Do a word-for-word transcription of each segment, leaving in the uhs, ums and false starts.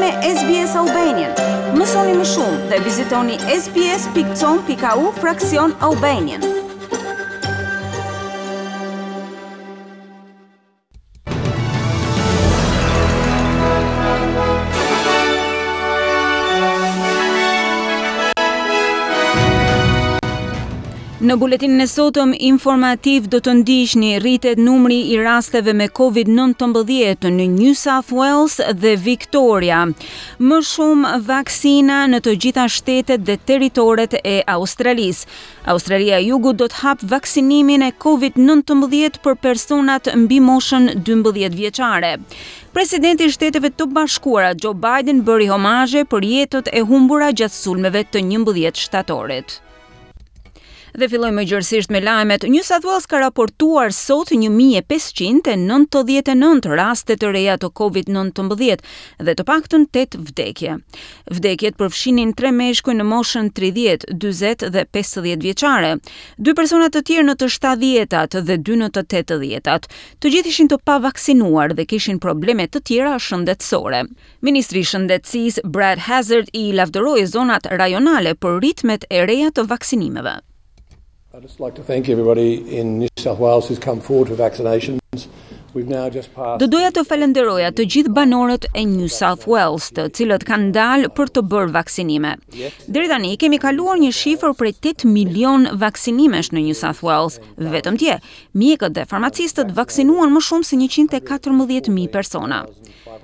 me S B S Albanian. Mësoni më shumë dhe vizitoni S B S pikë com pikë A U fraksion Albanian. Në buletinin e sotëm informativ do të ndiqni: rritet numri i rasteve me COVID nëntëmbëdhjetë në New South Wales dhe Victoria. Më shumë vaksina në të gjitha shtetet dhe territoret e Australisë. Australia e Jugut do të hap vaksinimin e COVID nëntëmbëdhjetë për personat mbi moshën dymbëdhjetë vjeçare. Presidenti i Shteteve të Bashkuara Joe Biden bëri homazhe për jetët e humbura gjatë sulmeve të njëmbëdhjetë shtatorit. Dhe fillojmë më gjërësisht me lajmet. New South Wales ka raportuar sot një mijë e pesëqind e nëntëdhjetë e nëntë raste të reja të COVID nëntëmbëdhjetë dhe të paktën tetë vdekje. Vdekjet përfshinin tre meshkuj në moshën tridhjetë, dyzet dhe pesëdhjetë vjeçare, dy persona të tjerë në të shtatëdhjetat dhe dy në të tetëdhjetat. Të gjithë ishin të pavaksinuar dhe kishin probleme të tjera shëndetësore. Ministri i Shëndetësisë Brad Hazzard i lavdëroi zonat rajonale për ritmet e reja të vaksinimeve. I'd just like to thank everybody in New South Wales who's come forward for vaccinations. We've now just passed Do doja të falenderoja të gjithë banorët e New South Wales, të cilët kanë dalë për të bërë vaksinime. Deri tani kemi kaluar një shifër prej tetë milion vaksinimesh në New South Wales. Vetëm dje, mjekët dhe farmacistët vaksinuan më shumë se njëqind e katërmbëdhjetë mijë persona.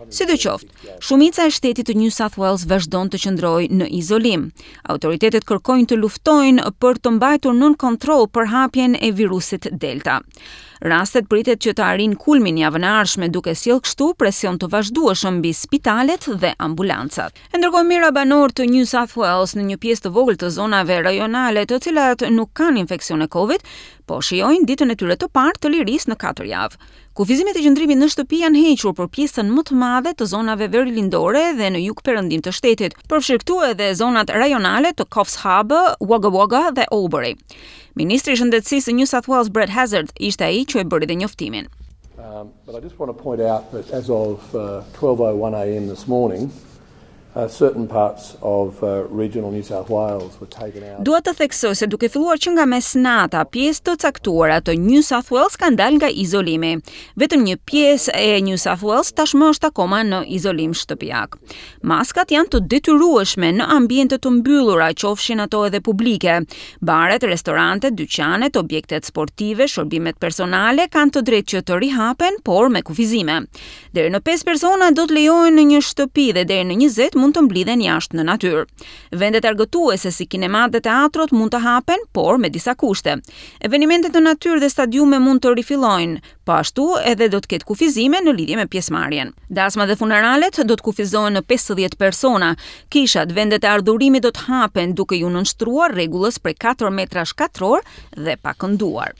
Sidoqoftë, shumica e shtetit të New South Wales vazhdon të qëndrojë në izolim. Autoritetet kërkojnë të luftojnë për të mbajtur nën kontroll përhapjen e virusit Delta. Rastet pritet që të arrijnë kulmin javën e ardhshme, duke sjellë kështu presion të vazhdueshëm mbi spitalet dhe ambulancat. E ndërkohë, mijëra banorë të New South Wales në një pjesë të vogël të zonave rajonale, të cilat nuk kanë infeksione Covid, po shijojnë ditën e tyre të parë të lirisë në katër javë. Kufizimet e qëndrimit në shtëpi janë hequr për pjesën më të madhe të zonave verilindore dhe në jug perëndim të shtetit, përfshirë këtu edhe zonat rajonale të Coffs Harbour, Wagga Wagga dhe Albury. Ministri i Shëndetësisë së New South Wales Brad Hazzard ishte ai që e bëri dhe njoftimin. Um, but I just want to point out that as of uh, twelve oh one a m this morning, uh, certain parts of uh, regional New South Wales were taken out. Dua të theksoj se duke filluar që nga mesnata, pjesë të caktuara të New South Wales kanë dalë nga izolimi. Vetëm një pjesë e New South Wales tashmë është akoma në izolim shtëpiak. Maskat janë të detyrueshme në ambiente të mbyllura, qofshin ato edhe publike. Baret, restorantet, dyqanet, objektet sportive, shërbimet personale kanë të drejtë që të rihapen, por me kufizime. Deri në pesë persona do të lejohen në një shtëpi dhe deri në njëzet mund të mblidhen jashtë në natyrë. Vendet argëtuese si kinemat dhe teatrot mund të hapen, por me disa kushte. Evenimentet në natyrë dhe stadiume mund të rifillojnë, po ashtu edhe do të ketë kufizime në lidhje me pjesëmarrjen. Dasma dhe funeralet do të kufizohen në pesëdhjetë persona. Kishat, vendet e adhurimit do të hapen duke ju nënshtruar rregullës prej katër metrash katror dhe pa kënduar.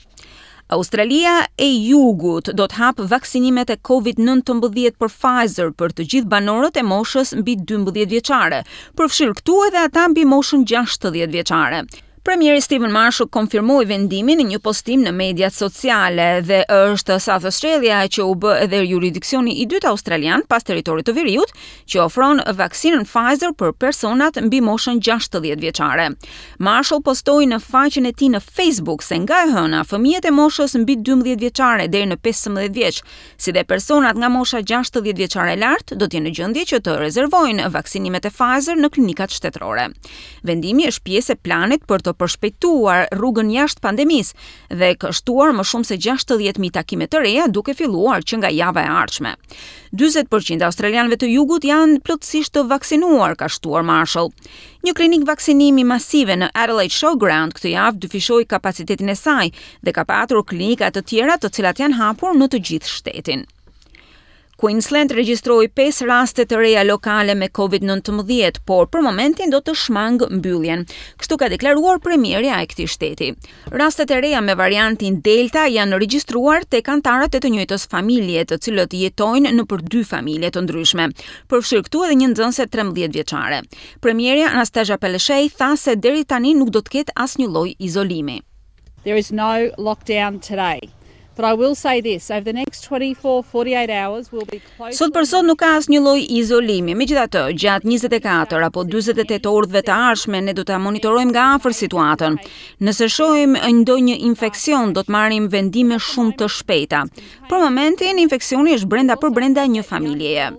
Australia e Jugut do të hap vaksinimet e COVID nëntëmbëdhjetë për Pfizer për të gjithë banorët e moshës mbi dymbëdhjetë vjeçare, përfshirë këtu edhe ata mbi moshën gjashtëdhjetë vjeçare. Premieri Steven Marshall konfirmoi vendimin në një postim në mediat sociale dhe është South Australia që u bë edhe juridiksioni i dytë australian pas territorit të veriut që ofron vaksinën Pfizer për personat mbi moshën gjashtëdhjetë vjeçare. Marshall postoi në faqen e tij në Facebook se nga e hëna fëmijët e moshës mbi dymbëdhjetë vjeçare deri në pesëmbëdhjetë vjeç, si dhe personat nga mosha gjashtëdhjetë vjeçare e lart do të jenë në gjendje që të rezervojnë vaksinimet e Pfizer në klinikat shtetërore. Vendimi është pjesë e planit për të përshpejtuar rrugën jashtë pandemisë dhe ka shtuar më shumë se gjashtëdhjetë mijë takime të reja duke filluar që nga java e ardhshme. dyzet për qind e australianëve të jugut janë plotësisht të vaksinuar, ka shtuar Marshall. Një klinik vaksinimi masive në Adelaide Showground këtë javë dyfishoi kapacitetin e saj dhe ka patur klinika të tjera, të cilat janë hapur në të gjithë shtetin. Queensland regjistroi pesë raste të reja lokale me COVID nëntëmbëdhjetë, por për momentin do të shmang mbylljen. Kështu ka deklaruar premierja e këtij shteti. Rastet e reja me variantin Delta janë regjistruar tek anëtarët e të njëjtës familje, të cilët jetojnë në për dy familje të ndryshme, përfshirë këtu edhe një nxënëse trembëdhjetë vjeçare. Premierja Anastasia Palaszczuk tha se deri tani nuk do të ketë asnjë lloj izolimi. There is no lockdown today. But I will say this, over the next twenty-four, forty-eight hours we'll be close. Sot për sot nuk ka asnjë lloj izolimi. Megjithatë, gjatë njëzet e katër apo dyzet e tetë orëve të ardhshme ne do ta monitorojmë nga afër situatën. Nëse shohim ndonjë infeksion, do të marrim vendime shumë të shpejta. Për momentin, infeksioni është brenda për brenda një familjeje.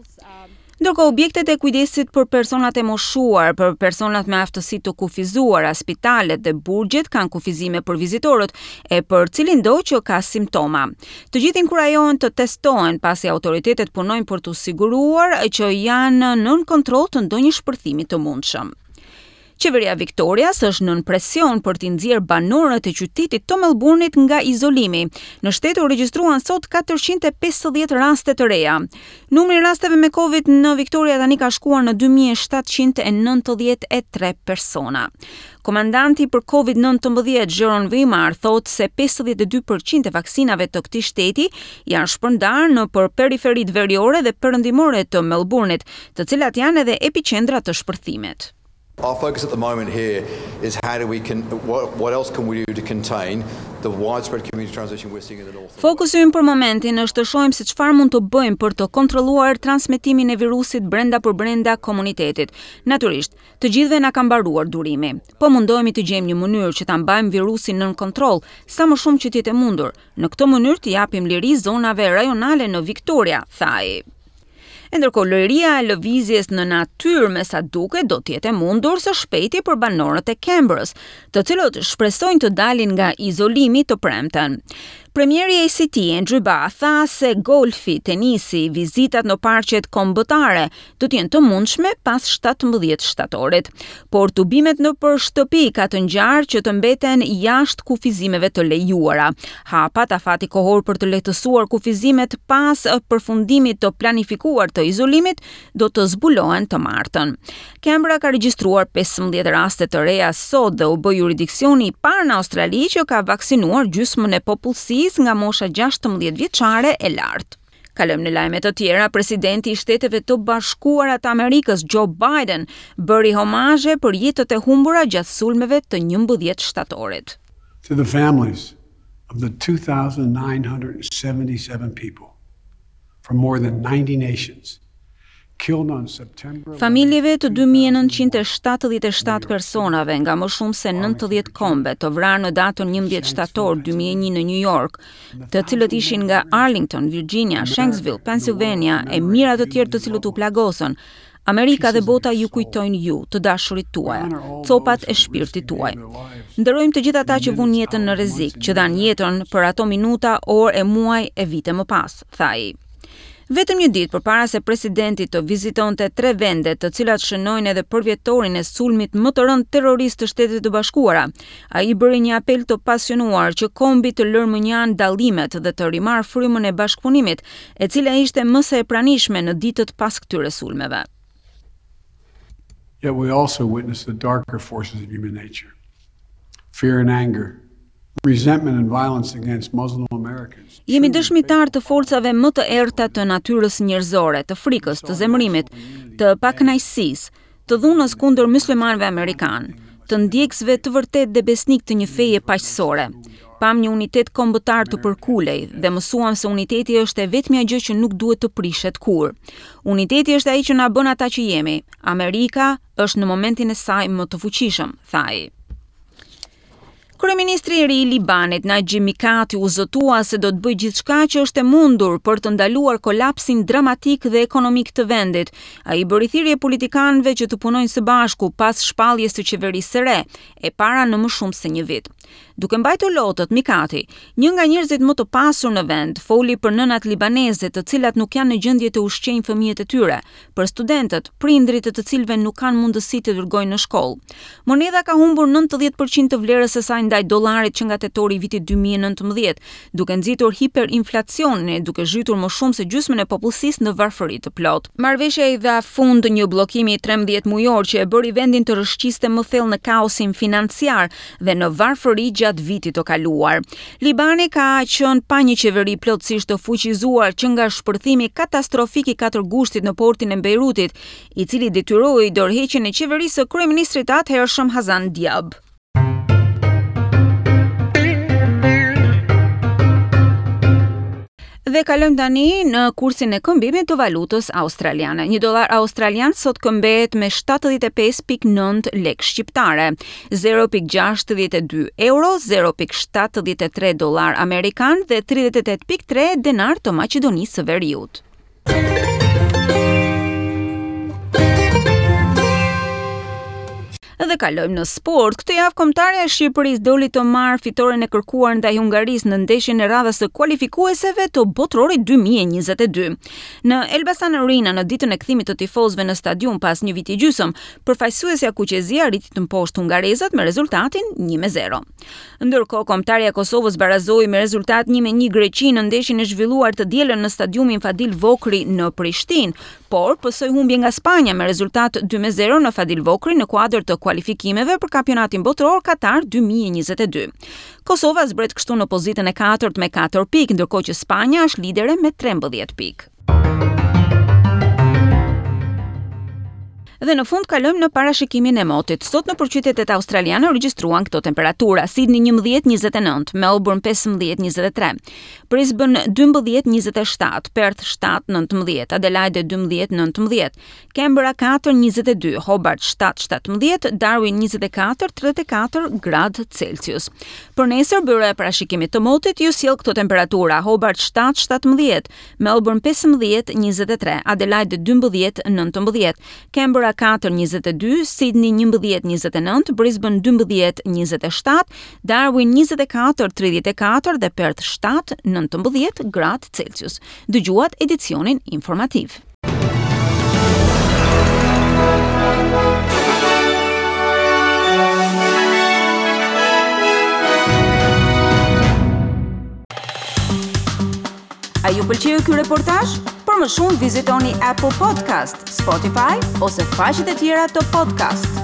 Ndërkohë, objektet e kujdesit për personat e moshuar, për personat me aftësi të kufizuara, spitalet dhe burgjet kanë kufizime për vizitorët e për cilindo që ka simptoma. Të gjithë inkurajohen të testohen, pasi autoritetet punojnë për të siguruar që janë nën kontroll të ndonjë shpërthimi të mundshëm. Qeveria Victorias është nën presion për t'i nxjerrë banorët e qytetit të Melbourne-it nga izolimi. Në shtet u regjistruan sot katërqind e pesëdhjetë raste të reja. Numri i rasteve me Covid në Victoria tani ka shkuar në dy mijë e shtatëqind e nëntëdhjetë e tre persona. Komandanti për Covid nëntëmbëdhjetë, Jeroen Weimar, thotë se pesëdhjetë e dy për qind e vaksinave të këtij shteti janë shpërndarë në për periferitë veriore dhe perëndimore të Melbourne-it, të cilat janë edhe epiqendra të shpërthimit. Our focus at the moment here is how do we can what, what else can we do to contain the widespread community transmission we're seeing in the north. Fokusi ynë për momentin është të shohim se çfarë mund të bëjmë për të kontrolluar transmetimin e virusit brenda për brenda komunitetit. Natyrisht, të gjithëve na ka mbaruar durimi. Po mundohemi të gjejmë një mënyrë që ta mbajmë virusin nën kontroll sa më shumë që të jetë e mundur. Në këtë mënyrë të japim liri zonave rajonale në Victoria, tha ai. E ndërkohë, liria e lëvizjes në natyrë me sa duket do të jetë e mundur së shpejti për banorët e Canberras, të cilët shpresojnë të dalin nga izolimi të premten. Premieri A C T Andrew Barr tha se golfi, tenisi, vizitat në parqet kombëtare do të jenë të mundshme pas shtatëmbëdhjetë shtatorit. Por tubimet në për shtëpi ka të ngjarë që të mbeten jashtë kufizimeve të lejuara. Hapat afati kohor për të lehtësuar kufizimet pas përfundimit të planifikuar të izolimit do të zbulohen të martën. Canberra ka regjistruar pesëmbëdhjetë raste të reja sot dhe u bë juridiksioni i parë në Australi që ka vaksinuar gjysmën e popullsisë nga mosha gjashtëmbëdhjetë vjeçare e lartë. Kalojmë në lajme të tjera. Presidenti i Shteteve të Bashkuara të Amerikës, Joe Biden, bëri homazhe për jetët e humbura gjatë sulmeve të njëmbëdhjetë shtatorit. To the families of the two thousand nine hundred seventy-seven people from more than ninety nations killed on September Familjeve të dy mijë e nëntëqind e shtatëdhjetë e shtatë personave nga më shumë se nëntëdhjetë kombe të vrarë në datën njëmbëdhjetë shtator dy mijë e një në New York, të cilët ishin nga Arlington, Virginia, Shanksville, Pennsylvania e mijëra të tjerë të cilët u plagosën, Amerika dhe bota ju kujtojnë ju, të dashurit tuaja, copat e shpirtit tuaj. Nderojmë të gjithë ata që vunë jetën në rrezik, që dhanë jetën për ato minuta, orë e muaj e vite më pas, tha ai. Vetëm një ditë përpara se presidenti të vizitonte tre vende të cilat shënojnë edhe përvjetorin e sulmit më të rëndë terrorist të Shteteve të Bashkuara, ai bëri një apel të pasionuar që kombi të lërë mënjanë dallimet dhe të rimarrë frymën e bashkëpunimit, e cila ishte më se e pranishme në ditët pas këtyre sulmeve. Yet we also witness the darker forces of human nature: fear and anger, resentment and violence against Muslim Americans. Jemi dëshmitar të forcave më të errëta të natyrës njerëzore, të frikës, të zemërimit, të pakënaqësisë, të dhunës kundër muslimanëve amerikanë, të ndjekësve të vërtetë dhe besnik të një feje paqësore. Pam një unitet kombëtar të përkulej dhe mësuam se uniteti është e vetmja gjë që nuk duhet të prishet kurrë. Uniteti është ai që na bën ata që jemi. Amerika është në momentin e saj më të fuqishëm, tha ai. Kryeministri i ri i Libanit, Najib Mikati, u zotua se do të bëjë gjithçka që është e mundur për të ndaluar kolapsin dramatik dhe ekonomik të vendit. Ai bëri thirrje politikanëve që të punojnë së bashku pas shpalljes së qeverisë së re, e para në më shumë se një vit. Duke mbajtur lotët, Mikati, një nga njerëzit më të pasur në vend, foli për nënat libaneze të cilat nuk janë në gjendje të ushqejnë fëmijët e tyre, për studentët, prindrit e të cilëve nuk kanë mundësi të dërgojnë në shkollë. Monedha ka humbur nëntëdhjetë për qind të vlerës së saj ndaj dollarit që nga tetori i vitit dy mijë e nëntëmbëdhjetë, duke nxitur hiperinflacionin e duke zhytur më shumë se gjysmën e popullsisë në varfëri të plotë. Marrëveshja i dha fund një bllokimi trembëdhjetë mujor që e bëri vendin të rrëshqiste më thellë në kaosin financiar dhe në varfëri gjatë vitit të kaluar. Libani ka qenë pa një qeveri plotësisht të fuqizuar që nga shpërthimi katastrofik i katër gushtit në portin e Beirutit, i cili detyroi dorëheqjen e qeverisë së kryeministrit të atëhershëm Hassan Diab. Dhe kalojmë tani në kursin e këmbimit të valutës australiane. Një dollar australian sot këmbehet me shtatëdhjetë e pesë pikë nëntë lekë shqiptare, zero pikë gjashtëdhjetë e dy euro, zero pikë shtatëdhjetë e tre dollar amerikan dhe tridhjetë e tetë pikë tre denar të Maqedonisë së Veriut. Dhe kalojmë në sport. Këtë javë kombëtarja e Shqipërisë doli të marrë fitoren e kërkuar ndaj Hungarisë në ndeshjen e radhës së kualifikueseve të Botërorit dy mijë e njëzet e dy. Në Elbasan Arena, në ditën e kthimit të tifozëve në stadium pas një viti gjysmë, përfaqësuesja kuqezi arriti të mposhtë hungarezët me rezultatin një me zero. Ndërkohë, kombëtarja e Kosovës barazoi me rezultat një me një Greqinë në ndeshjen e zhvilluar të dielën në stadiumin Fadil Vokrri në Prishtinë, por pësoi humbje nga Spanja me rezultat dy me zero në Fadil Vokrri në kuadër të kualifikimeve për kampionatin botëror Katar dy mijë e njëzet e dy. Kosova zbret kështu në pozitën e katërt me katër pikë, ndërkohë që Spanja është lidere me trembëdhjetë pikë. Dhe në fund kalojmë në parashikimin e motit. Sot në përqytetet australiane u regjistruan këto temperatura: Sydney njëmbëdhjetë njëzet e nëntë, Melbourne pesëmbëdhjetë njëzet e tre, Brisbane dymbëdhjetë njëzet e shtatë, Perth shtatë nëntëmbëdhjetë, Adelaide dymbëdhjetë nëntëmbëdhjetë, Canberra katër njëzet e dy, Hobart shtatë shtatëmbëdhjetë, Darwin njëzet e katër tridhjetë e katër gradë Celsius. Për nesër, byroja e parashikimit të motit ju sjell këto temperatura: Hobart shtatë shtatëmbëdhjetë, Melbourne pesëmbëdhjetë njëzet e tre, Adelaide dymbëdhjetë nëntëmbëdhjetë, Canberra katër njëzet e dy, Sydney njëmbëdhjetë njëzet e nëntë, Brisbane dymbëdhjetë njëzet e shtatë, Darwin njëzet e katër tridhjetë e katër dhe Perth shtatë nëntëmbëdhjetë gradë Celsius. Dëgjuat edicionin informativ. A ju pëlqeu ky reportazh? Për më shumë vizitoni Apple Podcast, Spotify ose faqet e tjera të podcast.